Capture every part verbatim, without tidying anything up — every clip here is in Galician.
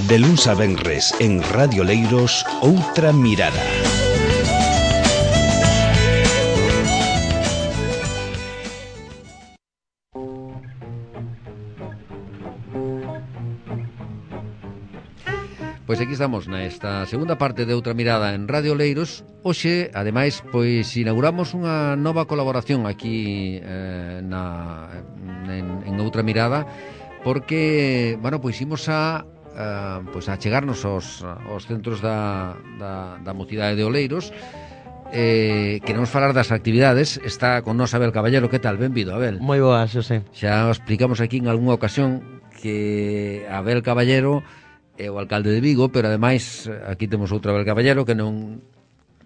De luns a venres en Radio Leiros, Outra Mirada. Pois aquí estamos nesta segunda parte de Outra Mirada en Radio Leiros. Hoxe, ademais, pois inauguramos unha nova colaboración aquí eh, na, en, en Outra Mirada, porque, bueno, pois imos a Uh, pois a chegarnos aos, aos centros da, da, da mocidade de Oleiros. eh, Queremos falar das actividades. Está con nós Abel Caballero. Que tal? Benvido, Abel. Moi boas, Xosé. Xa explicamos aquí en algunha ocasión que Abel Caballero é o alcalde de Vigo, pero ademais aquí temos outro Abel Caballero que non...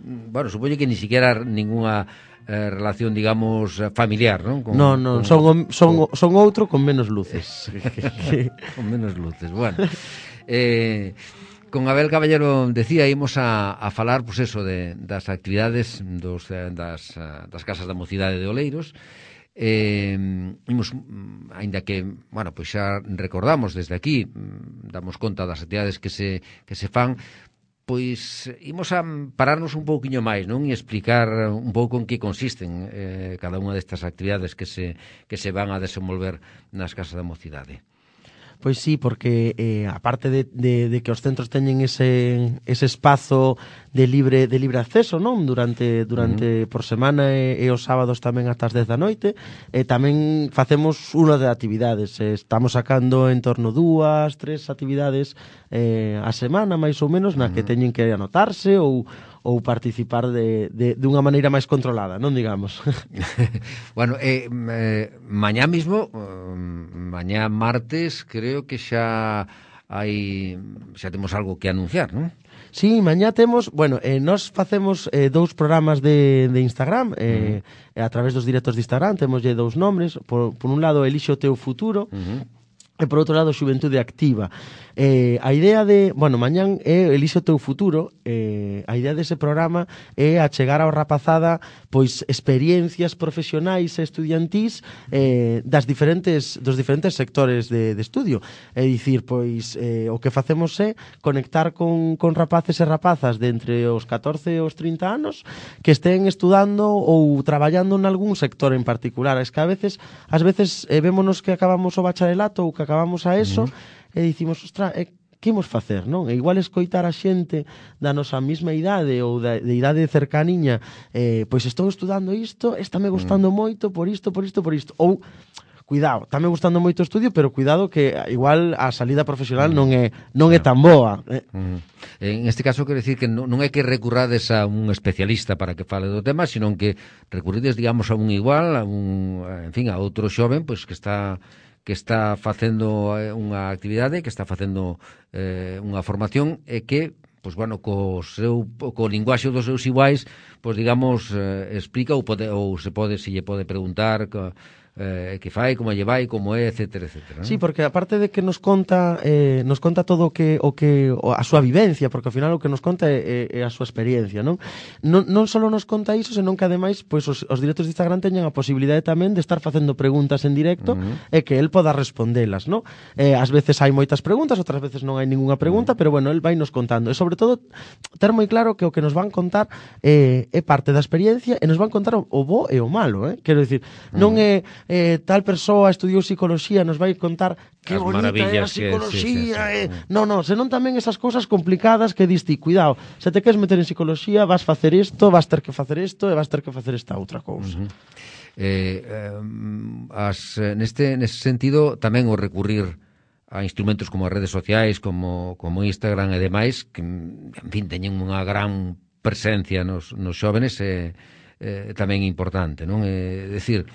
Bueno, supoño que ni siquiera ninguna eh, relación, digamos, familiar, non? Con, non, non, con, son, son, con... son outro con menos luces. Con menos luces, bueno. Eh, con Abel Caballero, decía, ímos a, a falar, pois pues eso, de, das actividades dos, das, das casas da mocidade de Oleiros. Eh, imos, aínda que, bueno, pois xa recordamos desde aquí, damos conta das actividades que se, que se fan, pois imos a pararnos un pouquiño máis, non? E explicar un pouco en que consisten eh, cada unha destas actividades que se, que se van a desenvolver nas casas da mocidade. Pois sí, porque eh, aparte de, de, de que os centros teñen ese, ese espazo de libre de libre acceso, non? Durante durante uh -huh. por semana e, e os sábados tamén ata as dez da noite, e tamén facemos unha de actividades. Estamos sacando en torno dúas, tres actividades eh, a semana, máis ou menos, na uh -huh. que teñen que anotarse ou ou participar de, de, de unha maneira máis controlada, non digamos. Bueno, eh, eh, mañá mismo, eh, mañá martes, creo que xa hai xa temos algo que anunciar, non? Sí, mañá temos, bueno, eh, nos facemos eh, dous programas de, de Instagram, eh, uh -huh. a través dos directos de Instagram, temoslle dous nombres, por, por un lado, Elixe o teu futuro, uh -huh. e por outro lado, Xuventude Activa. Eh, a idea de, bueno, mañán é Elixe o teu futuro, eh, a idea dese programa é achegar ao rapazada pois experiencias profesionais e estudiantís eh, das diferentes dos diferentes sectores de, de estudio. É dicir, pois eh, o que facemos é conectar con, con rapaces e rapazas de entre os catorce e os trinta anos que estén estudando ou traballando en algún sector en particular. Es que a veces, ás veces eh, vémonos que acabamos o bacharelato ou que acabamos a eso, uh -huh. e dicimos, ostra, eh, que imos facer, non? E igual escoitar a xente da nosa mesma idade ou da, de idade cercaniña, eh, pois estou estudando isto, está me gustando mm. moito por isto, por isto, por isto. Ou, cuidado, está me gustando moito o estudio, pero cuidado que igual a salida profesional mm. non é non claro. é tan boa. Eh. Mm. En este caso, quero dicir que non, non é que recurrades a un especialista para que fale do tema, sino que recurrides, digamos, a un igual, a un, en fin, a outro xoven, pois que está... que está facendo unha actividade, que está facendo eh, unha formación e que, pois bueno, co seu co linguaxe dos seus iguais, pois digamos, eh, explica ou pode ou se pode se lle pode preguntar que eh, que fai, como lle vai, como é, etcétera, etcétera, ¿no? Sí, porque aparte de que nos conta eh, nos conta todo o que o que o, a súa vivencia, porque ao final o que nos conta é, é a súa experiencia, non? Non, non só nos conta iso, senón que ademais pois os, os directos de Instagram teñen a posibilidade tamén de estar facendo preguntas en directo uh -huh. e que el poda respondelas, non? Eh, ás veces hai moitas preguntas, outras veces non hai ninguna pregunta, uh -huh. pero bueno, el vai nos contando. E sobre todo, ter moi claro que o que nos van contar eh, é parte da experiencia e nos van contar o, o bo e o malo, eh? Quero dicir, non uh -huh. é Eh, tal persoa estudiou psicoloxía, nos vai contar que as bonita é a psicoloxía, que, sí, sí, sí. Eh. Non, non, senón tamén esas cousas complicadas que diste, cuidado, se te queres meter en psicoloxía, vas facer isto, vas ter que facer isto e vas ter que facer esta outra cousa. Uh -huh. eh, eh, as, neste, neste sentido, tamén o recurrir a instrumentos como as redes sociais, como, como Instagram e demais, que, en fin, teñen unha gran presencia nos, nos xóvenes, é eh, eh, tamén importante, non? É decir,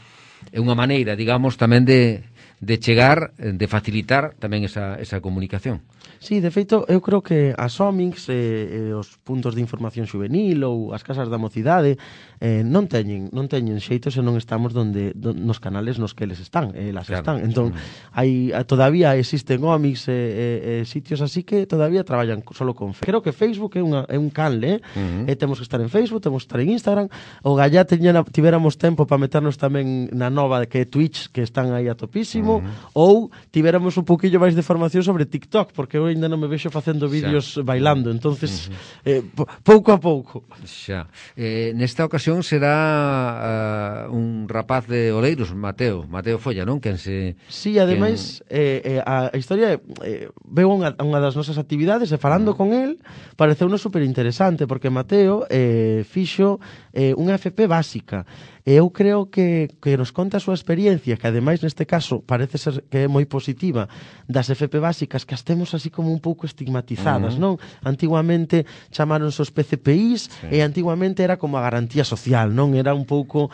é unha maneira, digamos, tamén de, de chegar, de facilitar tamén esa, esa comunicación. Sí, de feito, eu creo que as Omics, eh, eh, os puntos de información juvenil ou as casas da mocidade eh, non teñen non teñen xeito se non estamos donde don, nos canales nos que eles están, elas claro. están. Entón, mm. hai todavía existen Omics e eh, eh, sitios así que todavía traballan solo con Facebook. Creo que Facebook é, unha, é un canle, eh? Mm -hmm. e temos que estar en Facebook, temos que estar en Instagram. O gallá teñan, tivéramos tempo para meternos tamén na nova que é Twitch, que están aí a topísimo. muitísimo, uh-huh. ou tivéramos un pouquillo máis de formación sobre TikTok, porque eu ainda non me vexo facendo vídeos xa. bailando, entonces uh-huh. eh, pouco a pouco. Xa. Eh, nesta ocasión será uh, un rapaz de Oleiros, Mateo, Mateo Folla, non? Quen se... Sí, ademais, quen... eh, eh, a historia eh, veu unha, unha das nosas actividades e falando uh-huh. con el, pareceunos super interesante, porque Mateo eh, fixo eh, unha F P básica. E eu creo que, que nos conta a súa experiencia, que ademais neste caso parece ser que é moi positiva, das F P básicas que as temos así como un pouco estigmatizadas, uh-huh. non? Antiguamente chamaronse os P C P Is sí. e antiguamente era como a garantía social, non? Era un pouco...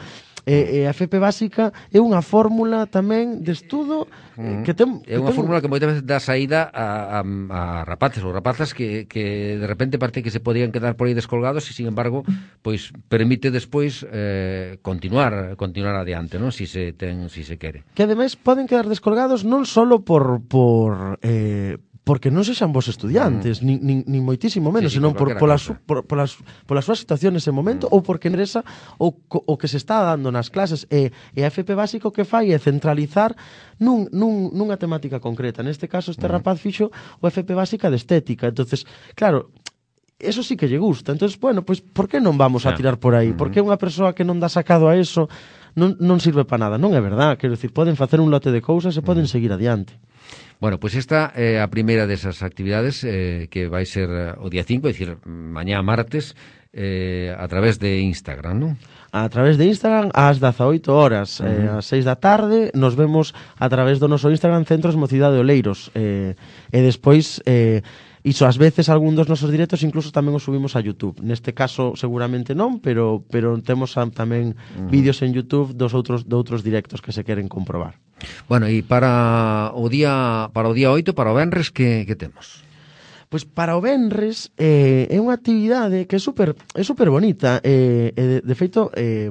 E, e a F P básica é unha fórmula tamén de estudo mm. que ten... É unha ten... fórmula que moitas veces dá saída a, a, a rapaces ou rapazas que, que de repente parte que se podían quedar por aí descolgados e, sin embargo, pois permite despois eh, continuar continuar adiante, non? Si se ten, si se quere. Que ademais poden quedar descolgados non solo por... por eh, porque non sexan vos estudiantes, mm. nin, nin, nin moitísimo menos, sí, sí, senón por, pola, su, por, pola, pola súa situación nese momento, mm. ou porque interesa o, o que se está dando nas clases. E, e a F P básico que fai é centralizar nun, nun, nunha temática concreta. Neste caso, este mm. rapaz fixo o F P básica de estética. Entonces, claro, eso sí que lle gusta. Entonces, bueno, pues, por que non vamos a tirar por aí? Mm-hmm. Por que unha persoa que non dá sacado a eso non, non sirve para nada? Non é verdad. Quero dicir, poden facer un lote de cousas e poden mm. seguir adiante. Bueno, pois pues esta é a primeira desas actividades eh, que vai ser o día cinco, é dicir, mañá martes, eh, a través de Instagram, non? A través de Instagram ás dezaoito horas, uh-huh. eh, ás seis da tarde, nos vemos a través do noso Instagram Centros Mocidade de Oleiros. Eh, e despois... Eh, Iso, ás veces, algún dos nosos directos incluso tamén os subimos a YouTube. Neste caso, seguramente non, pero pero temos a, tamén uh-huh. vídeos en YouTube dos outros de outros directos que se queren comprobar. Bueno, e para o día para o día oito, para o venres, que, que temos? Pois para o venres eh, é unha actividade que é super é super bonita. Eh, eh, de, de feito, eh,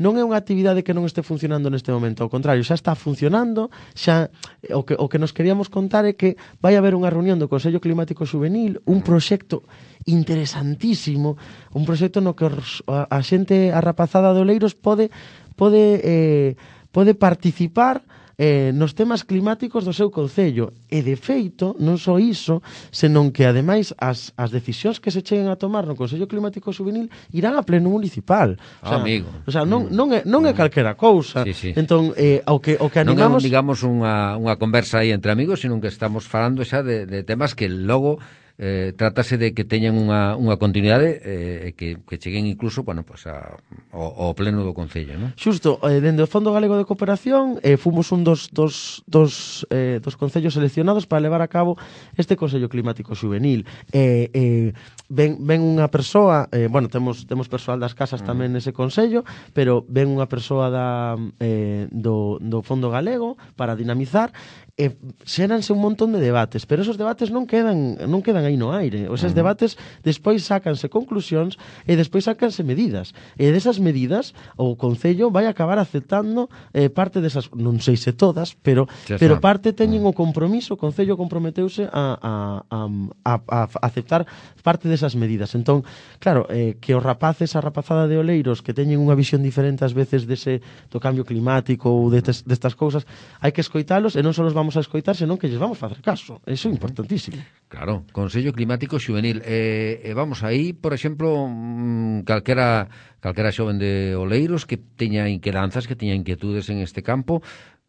non é unha actividade que non este funcionando neste momento, ao contrario, xa está funcionando, xa o que, o que nos queríamos contar é que vai haber unha reunión do Consello Climático Xuvenil, un proxecto interesantísimo, un proxecto no que a, a xente, a rapazada de Oleiros pode pode eh, pode participar eh, nos temas climáticos do seu concello. E, de feito, non só iso, senón que, ademais, as, as decisións que se cheguen a tomar no Consello Climático Xuvenil irán a pleno municipal. O sea, ah, amigo. O sea, non, non, é, non é calquera cousa. Sí, sí. Entón, eh, o que, o que animamos... Non é, digamos, unha, unha conversa aí entre amigos, senón que estamos falando xa de, de temas que logo... Eh, trátase de que teñan unha, unha continuidade e eh, que, que cheguen incluso, bueno, pues a, ao, ao pleno do Concello, non? Xusto, eh, dende o Fondo Galego de Cooperación eh, fomos un dos, dos, dos, eh, dos concellos seleccionados para levar a cabo este Consello Climático Xuvenil. Eh, eh, ven, ven unha persoa, eh, bueno, temos, temos persoal das casas mm. tamén nese consello, pero ven unha persoa da, eh, do, do Fondo Galego para dinamizar e xéranse un montón de debates, pero esos debates non quedan non quedan aí no aire. Os uh-huh. debates despois sácanse conclusións e despois sácanse medidas. E desas medidas o Concello vai acabar aceptando eh, parte desas, non sei se todas, pero pero parte teñen o compromiso, o Concello comprometeuse a, a, a, a, a aceptar parte desas medidas. Entón, claro, eh, que os rapaces, a rapazada de Oleiros que teñen unha visión diferente ás veces dese do cambio climático ou destas, destas cousas, hai que escoitalos e non só os vamos a escoitar, senón que lles vamos facer caso. Eso é importantísimo. Claro, Consello Climático Xuvenil. E eh, eh, vamos aí, por exemplo, mmm, calquera, calquera xoven de Oleiros que teña inquedanzas, que teña inquietudes en este campo,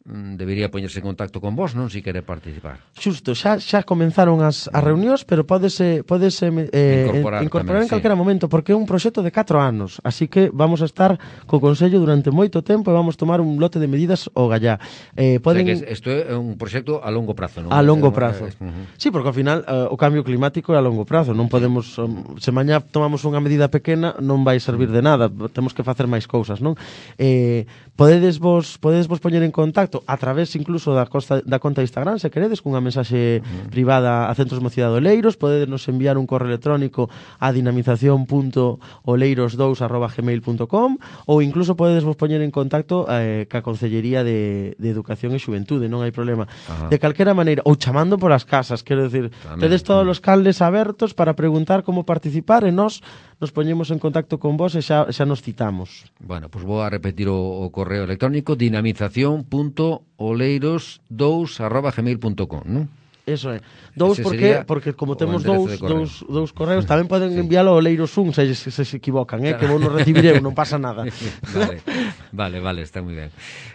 debería poñerse en contacto con vos, non, se quere participar. Xusto, xa xa comenzaron as, as reunións, pero pódese pódese eh, incorporar, incorporar tamén, en calquera sí. momento, porque é un proxecto de catro anos, así que vamos a estar co Consello durante moito tempo e vamos tomar un lote de medidas ao gallá. Eh, poden... O sea que isto é un proxecto a longo prazo, non? A longo prazo. Uh-huh. Sí, porque ao final uh, o cambio climático é a longo prazo, non podemos um, se mañá tomamos unha medida pequena non vai servir de nada, temos que facer máis cousas, non? Eh, podedes vos podedes vos poñer en contacto a través incluso da, costa, da conta de Instagram, se queredes, cunha mensaxe uh-huh. privada a Centros Mocidade de Oleiros, podedes nos enviar un correo electrónico a dinamización punto oleiros dous arroba gmail punto com ou incluso podedes vos poñer en contacto eh, ca Concellería de, de Educación e Xuventude, non hai problema. Uh-huh. De calquera maneira, ou chamando por as casas, quero decir, tamén, tedes todos os caldes abertos para preguntar como participar e nós nos poñemos en contacto con vos e xa, xa nos citamos. Bueno, pois pues vou a repetir o, o correo electrónico dinamización punto oleiros dous arroba gmail punto com, non? Eso é. Dous porque, porque como temos dous, dous, dous correos, tamén poden sí. enviálo ao Leiros un se, se, se, se equivocan, eh, que vos non recibireu, non pasa nada. Vale, vale, vale, está moi ben.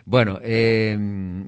Bueno, eh,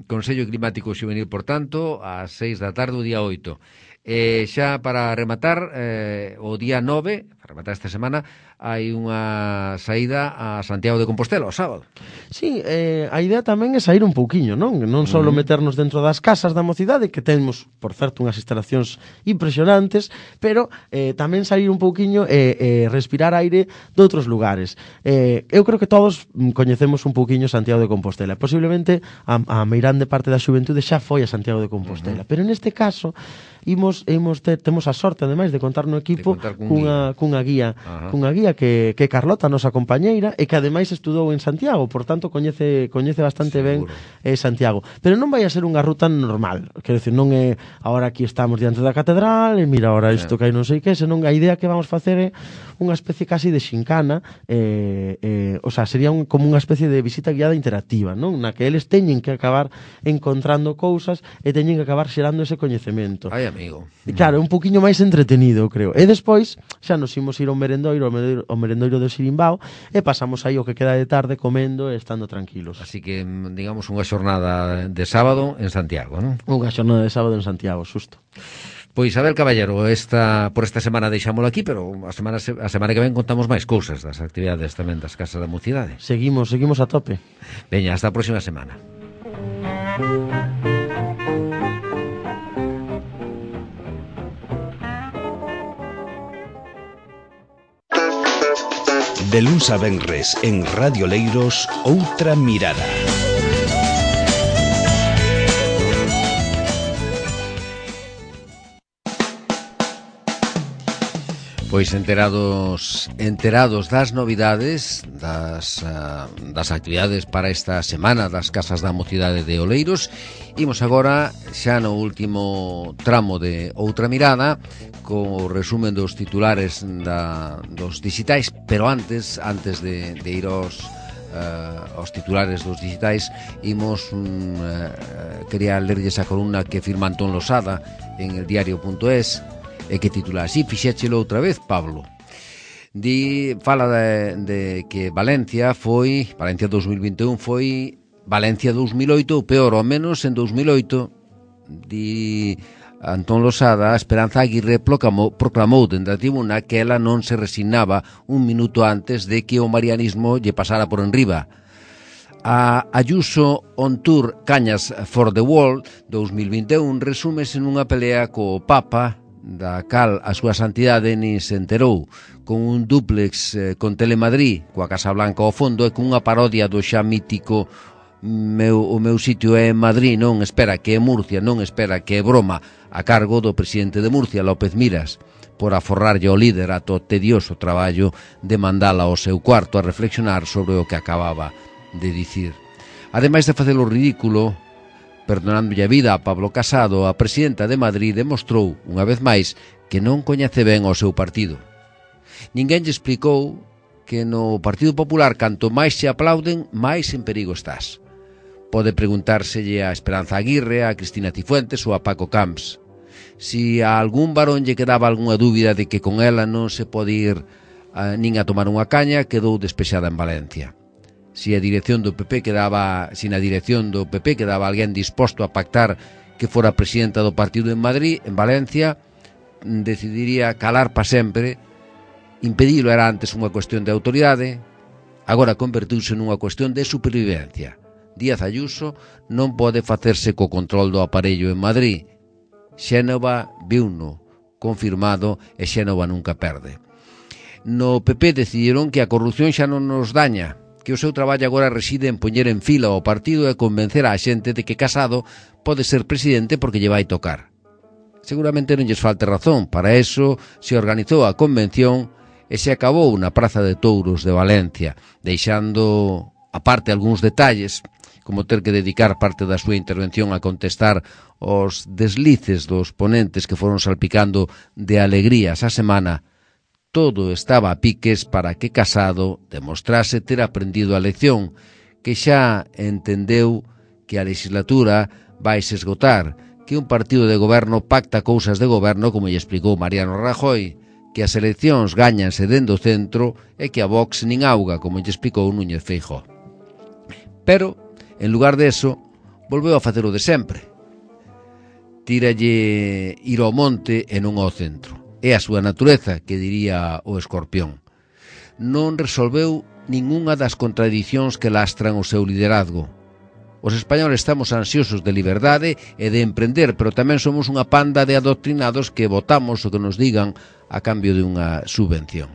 Consello Climático Xuvenil, por tanto, ás seis da tarde, o día oito. Eh, xa para rematar, eh, o día nove, para rematar esta semana, hai unha saída a Santiago de Compostela, o sábado. Sí, eh, a idea tamén é sair un pouquiño, non? Non só uh -huh. meternos dentro das casas da mocidade, que temos, por certo, unhas instalacións impresionantes, pero eh, tamén sair un pouquiño e eh, eh, respirar aire de outros lugares. Eh, eu creo que todos coñecemos un pouquiño Santiago de Compostela. Posiblemente a, a meirande parte da xuventude xa foi a Santiago de Compostela, uh -huh. pero neste caso imos, imos ter, temos a sorte, ademais, de contar no equipo contar cun cunha, guía. cunha guía, uh -huh. cunha guía que, que Carlota, a nosa compañeira, e que ademais estudou en Santiago, por tanto coñece coñece bastante Seguro. ben eh, Santiago. Pero non vai a ser unha ruta normal, quero decir, non é agora aquí estamos diante da catedral e mira agora isto que hai non sei que, senón a idea que vamos facer é unha especie casi de xincana, eh, eh, o sea, sería un, como unha especie de visita guiada interactiva, non? Na que eles teñen que acabar encontrando cousas e teñen que acabar xerando ese coñecemento. Ai, amigo. E claro, un poquinho máis entretenido, creo. E despois xa nos imos ir ao merendoiro, ao merendoiro, ao merendoiro do Sirimbao, e pasamos aí o que queda de tarde comendo e estando tranquilos. Así que, digamos, unha xornada de sábado en Santiago, non? Unha xornada de sábado en Santiago, xusto. Pois, Abel Caballero, esta, por esta semana deixámolo aquí, pero a semana, a semana que ven contamos máis cousas das actividades tamén das Casas da Mocidade. Seguimos, seguimos a tope. Veña, hasta a próxima semana. De luns a venres en Radio Leiros, Outra Mirada. Pois enterados enterados das novidades das, uh, das actividades para esta semana das Casas da Mocidade de Oleiros, imos agora xa no último tramo de Outra Mirada co resumen dos titulares da, dos digitais, pero antes antes de, de ir aos uh, aos titulares dos digitais, imos um, uh, quería lerlles a columna que firma Antón Losada en el diario punto es, e que titula así: fixéchelo outra vez, Pablo. Di, fala de, de que Valencia foi, Valencia dos mil vinte e un foi Valencia dos mil oito, ou peor ou menos en dos mil oito. Di Antón Losada, a Esperanza Aguirre proclamou, proclamou dende a tribuna que ela non se resignaba un minuto antes de que o marianismo lle pasara por enriba. A Ayuso on Tour Cañas for the World dos mil vinte e un resúmese nunha pelea co Papa, da cal a súa santidade nin se enterou, con un dúplex eh, con Telemadrid, coa Casa Blanca ao fondo, e con unha parodia do xa mítico meu, o meu sitio é en Madrid, non espera que é Murcia, non espera que é broma, a cargo do presidente de Murcia, López Miras, por aforrarlle ao líder ato tedioso traballo de mandala ao seu cuarto a reflexionar sobre o que acababa de dicir. Ademais de facer o ridículo, perdonándolle a vida a Pablo Casado, a presidenta de Madrid demostrou, unha vez máis, que non coñece ben o seu partido. Ninguén lle explicou que no Partido Popular, canto máis se aplauden, máis en perigo estás. Pode preguntárselle a Esperanza Aguirre, a Cristina Cifuentes ou a Paco Camps. Si a algún varón lle quedaba algunha dúbida de que con ela non se pode ir a, nin a tomar unha caña, quedou despexada en Valencia. Si a dirección do P P quedaba, si na dirección do P P quedaba alguén disposto a pactar que fora presidenta do partido en Madrid, en Valencia, decidiría calar pa sempre. Impedilo era antes unha cuestión de autoridade, agora convertiuse nunha cuestión de supervivencia. Díaz Ayuso non pode facerse co control do aparello en Madrid. Xénova viuno, confirmado, e Xénova nunca perde. No P P decidiron que a corrupción xa non nos daña, que o seu traballo agora reside en poñer en fila ao partido e convencer á xente de que Casado pode ser presidente porque lle vai tocar. Seguramente non lles falte razón, para eso se organizou a convención e se acabou na Praza de Touros de Valencia, deixando aparte algúns detalles, como ter que dedicar parte da súa intervención a contestar os deslices dos ponentes que foron salpicando de alegrías a semana. Todo estaba a piques para que Casado demostrase ter aprendido a lección, que xa entendeu que a legislatura vai se esgotar, que un partido de goberno pacta cousas de goberno, como lle explicou Mariano Rajoy, que as eleccións gañanse dentro do centro e que a Vox nin auga, como lle explicou Núñez Feijóo. Pero, en lugar de eso, volveu a facer o de sempre. Tíralle ir ao monte e non ao centro. É a súa natureza, que diría o Escorpión. Non resolveu ningunha das contradicións que lastran o seu liderazgo. Os españoles estamos ansiosos de liberdade e de emprender, pero tamén somos unha panda de adoctrinados que votamos o que nos digan a cambio de unha subvención.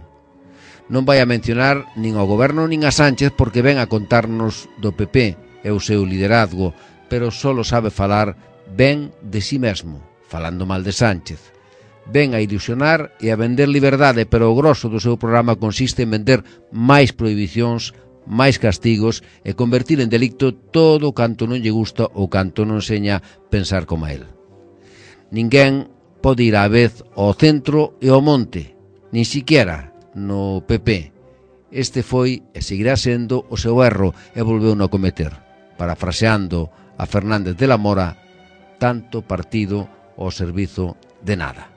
Non vai a mencionar nin ao goberno nin a Sánchez porque ven a contarnos do P P e o seu liderazgo, pero só sabe falar ben de si mesmo, falando mal de Sánchez. Ven a ilusionar e a vender liberdade, pero o grosso do seu programa consiste en vender máis prohibicións, máis castigos e convertir en delicto todo o canto non lle gusta ou canto non seña pensar como a él. Ninguén pode ir á vez ao centro e ao monte, nin siquiera no P P. Este foi e seguirá sendo o seu erro e volveu no a cometer. Parafraseando a Fernández de la Mora, tanto partido ao servizo de nada.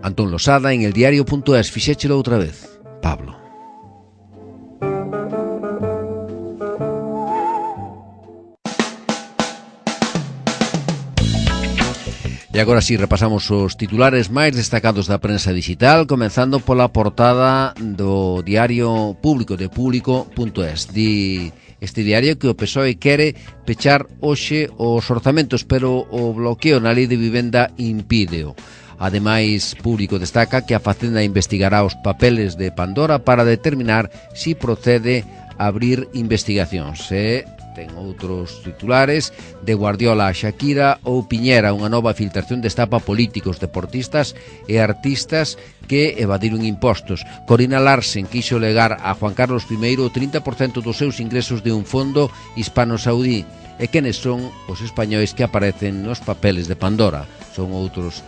Antón Losada en eldiario.es. Fixéchelo outra vez. Pablo. E agora si repasamos os titulares máis destacados da prensa digital, comenzando pola portada do diario público de público punto es. Di este diario que o P S O E quere pechar hoxe os orzamentos, pero o bloqueo na lei de vivenda impídeo. Ademais, Público destaca que a Facenda investigará os papeles de Pandora para determinar si procede abrir investigacións. E ten outros titulares: de Guardiola a Shakira ou Piñera, unha nova filtración destapa políticos, deportistas e artistas que evadiron impostos. Corina Larsen quixo legar a Juan Carlos primeiro o trinta por cento dos seus ingresos de un fondo hispano-saudí. E quenes son os españois que aparecen nos papeles de Pandora? Son outros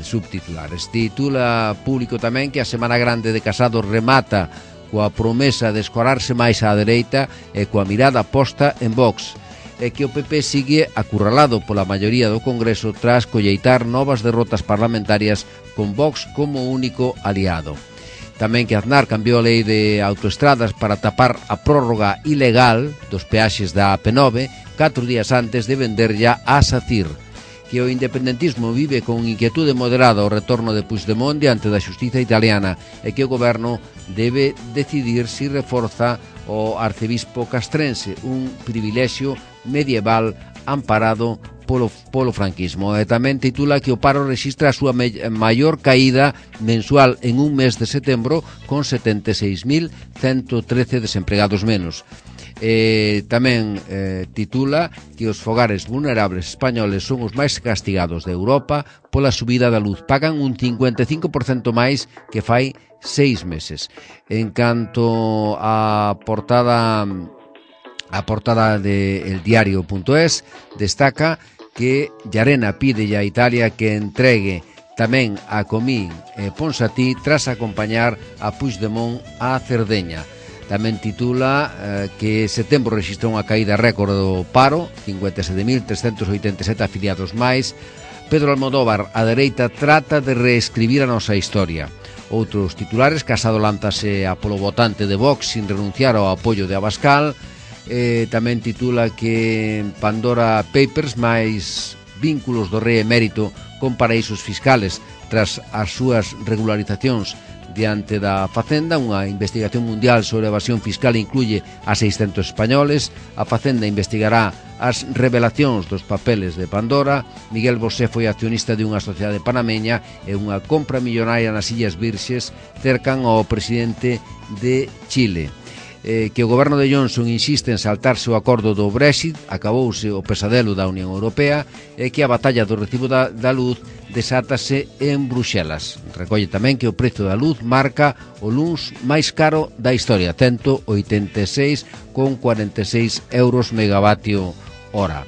subtitulares. Titula Público tamén que a Semana Grande de Casado remata coa promesa de escorarse máis á dereita e coa mirada posta en Vox, e que o P P sigue acurralado pola maioría do Congreso tras colleitar novas derrotas parlamentarias con Vox como único aliado. Tamén que Aznar cambiou a lei de autoestradas para tapar a prórroga ilegal dos peaxes da A P nove catro días antes de vender ya a SACIR. Que o independentismo vive con inquietude moderada o retorno de Puigdemont diante da xustiza italiana e que o goberno debe decidir si reforza o arcebispo castrense, un privilexio medieval amparado polo, polo franquismo. E tamén titula que o paro rexistra a súa maior caída mensual en un mes de setembro con setenta e seis mil ciento trece desempregados menos. Eh, tamén eh, titula que os fogares vulnerables españoles son os máis castigados de Europa pola subida da luz. Pagan un cincuenta e cinco por cento máis que fai seis meses. En canto a portada a portada de eldiario punto es, destaca que Llarena pide a Italia que entregue tamén a Comín e Ponsatí tras acompañar a Puigdemont a Cerdeña. Tamén titula eh, que setembro rexistrou unha caída récord do paro, cincuenta e sete mil trescentos oitenta e sete afiliados máis. Pedro Almodóvar, a dereita trata de reescribir a nosa historia. Outros titulares: Casado lántase a polo votante de Vox sin renunciar ao apoio de Abascal. Eh, tamén titula que Pandora Papers máis vínculos do rei emérito con paraísos fiscales tras as súas regularizacións diante da Facenda. Unha investigación mundial sobre evasión fiscal incluye a seiscentos españoles. A Facenda investigará as revelacións dos papeles de Pandora. Miguel Bosé foi accionista de unha sociedade panameña e unha compra millonaria nas Illas Virxes cercan ao presidente de Chile. Eh, que o goberno de Johnson insiste en saltarse o acordo do Brexit, acabouse o pesadelo da Unión Europea, e que a batalla do recibo da, da luz desátase en Bruxelas. Recolle tamén que o prezo da luz marca o luns máis caro da historia, cento oitenta e seis con cuarenta e seis euros megavatio hora.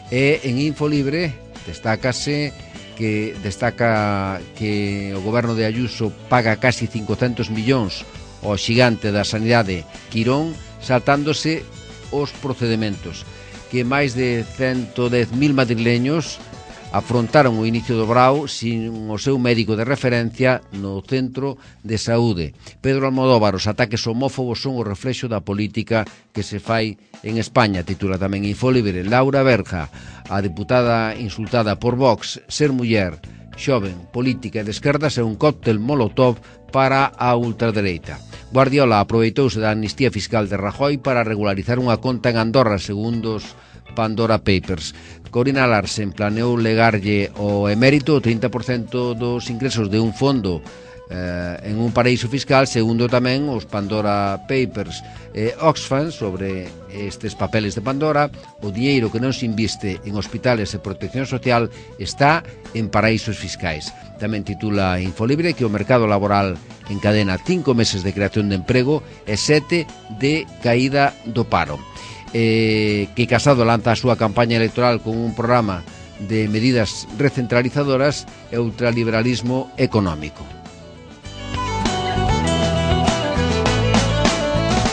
E en Infolibre destácase que destaca que o goberno de Ayuso paga casi cincocentos millóns ao xigante da sanidade Quirón, saltándose os procedementos, que máis de ciento dez mil madrileños afrontaron o inicio do brao sin o seu médico de referencia no centro de saúde. Pedro Almodóvar, os ataques homófobos son o reflexo da política que se fai en España, titula tamén Infolibre. Laura Berja, a deputada insultada por Vox, ser muller, xoven, política e de esquerdas é un cóctel molotov para a ultradereita. Guardiola aproveitouse da amnistía fiscal de Rajoy para regularizar unha conta en Andorra, segundo os Pandora Papers. Corina Larsen planeou legarlle ao emérito o trinta por cento dos ingresos de un fondo eh, en un paraíso fiscal, segundo tamén os Pandora Papers. Eh, Oxfam, sobre estes papeles de Pandora, o diñeiro que non se inviste en hospitales e protección social está en paraísos fiscais. Tamén titula Infolibre que o mercado laboral encadena cinco meses de creación de emprego e sete de caída do paro. Eh, que Casado lanza a súa campaña electoral con un programa de medidas recentralizadoras e ultraliberalismo económico.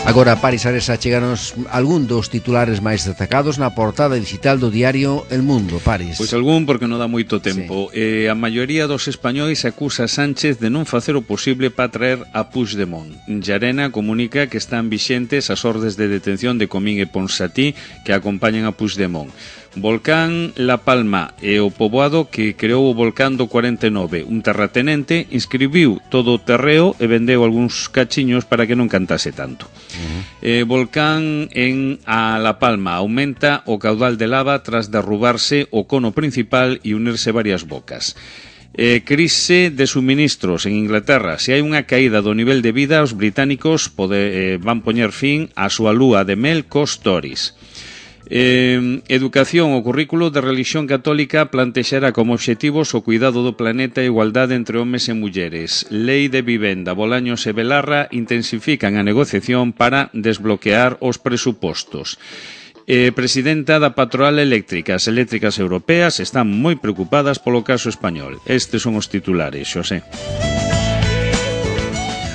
Agora, Paris Aresa, cheganos algún dos titulares máis destacados na portada digital do diario El Mundo. Paris. Pois algún, porque non dá moito tempo. Sí. Eh, a maioría dos españois acusa a Sánchez de non facer o posible para traer a Puigdemont. Llarena comunica que están vixentes as ordes de detención de Comín e Ponsatí que acompañan a Puigdemont. Volcán La Palma e o poboado que creou o Volcán do cuarenta e nove. Un terratenente inscribiu todo o terreo e vendeu algúns cachiños para que non cantase tanto. Uh-huh. eh, Volcán en a La Palma aumenta o caudal de lava tras derrubarse o cono principal e unirse varias bocas. Eh, crise de suministros en Inglaterra. Se hai unha caída do nivel de vida, os británicos pode, eh, van poñer fin á súa lúa de mel cos Tories. Eh, educación, o currículo de religión católica plantexará como obxectivos o cuidado do planeta e a igualdade entre homes e mulleres. Lei de vivenda, Bolaños e Belarra intensifican a negociación para desbloquear os presupostos. Eh, presidenta da Patronal Eléctrica, as eléctricas europeas están moi preocupadas polo caso español. Estes son os titulares, Xosé.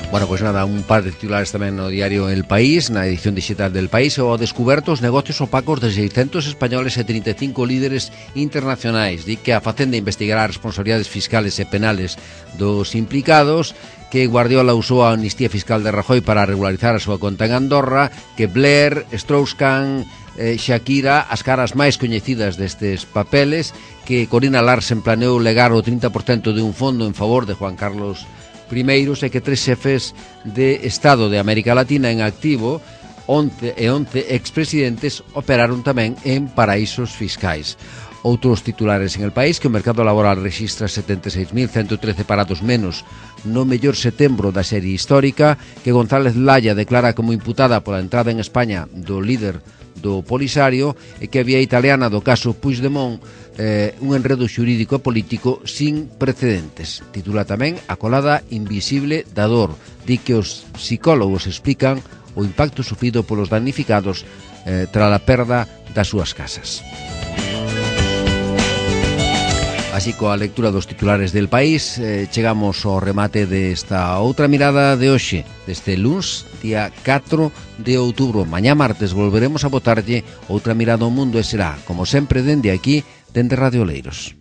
Bueno, pois pues nada, un par de titulares tamén no diario El País, na edición digital del País, o descuberto os negocios opacos de seiscentos españoles e trinta e cinco líderes internacionais. Di que a Facenda investigará as responsabilidades fiscales e penales dos implicados, que Guardiola usou a amnistía fiscal de Rajoy para regularizar a súa conta en Andorra, que Blair, Strauss-Kahn, eh, Shakira, as caras máis coñecidas destes papeles, que Corina Larsen planeou legar o trinta por cento de un fondo en favor de Juan Carlos primeiros e que tres xefes de Estado de América Latina en activo, once e once expresidentes, operaron tamén en paraísos fiscais. Outros titulares en El País, que o mercado laboral rexistra setenta e seis mil ciento trece parados menos no mellor setembro da serie histórica, que González Laya declara como imputada pola entrada en España do líder do Polisario e que a vía italiana do caso Puigdemont eh, un enredo xurídico e político sin precedentes. Titula tamén A colada invisible da dor. Di que os psicólogos explican o impacto sufrido polos damnificados eh, tras a perda das súas casas. Así, coa lectura dos titulares del País, eh, chegamos ao remate desta outra mirada de hoxe, deste luns, día catro de outubro. Mañá martes volveremos a botarlle outra mirada ao mundo e será, como sempre, dende aquí, dende Radio Oleiros.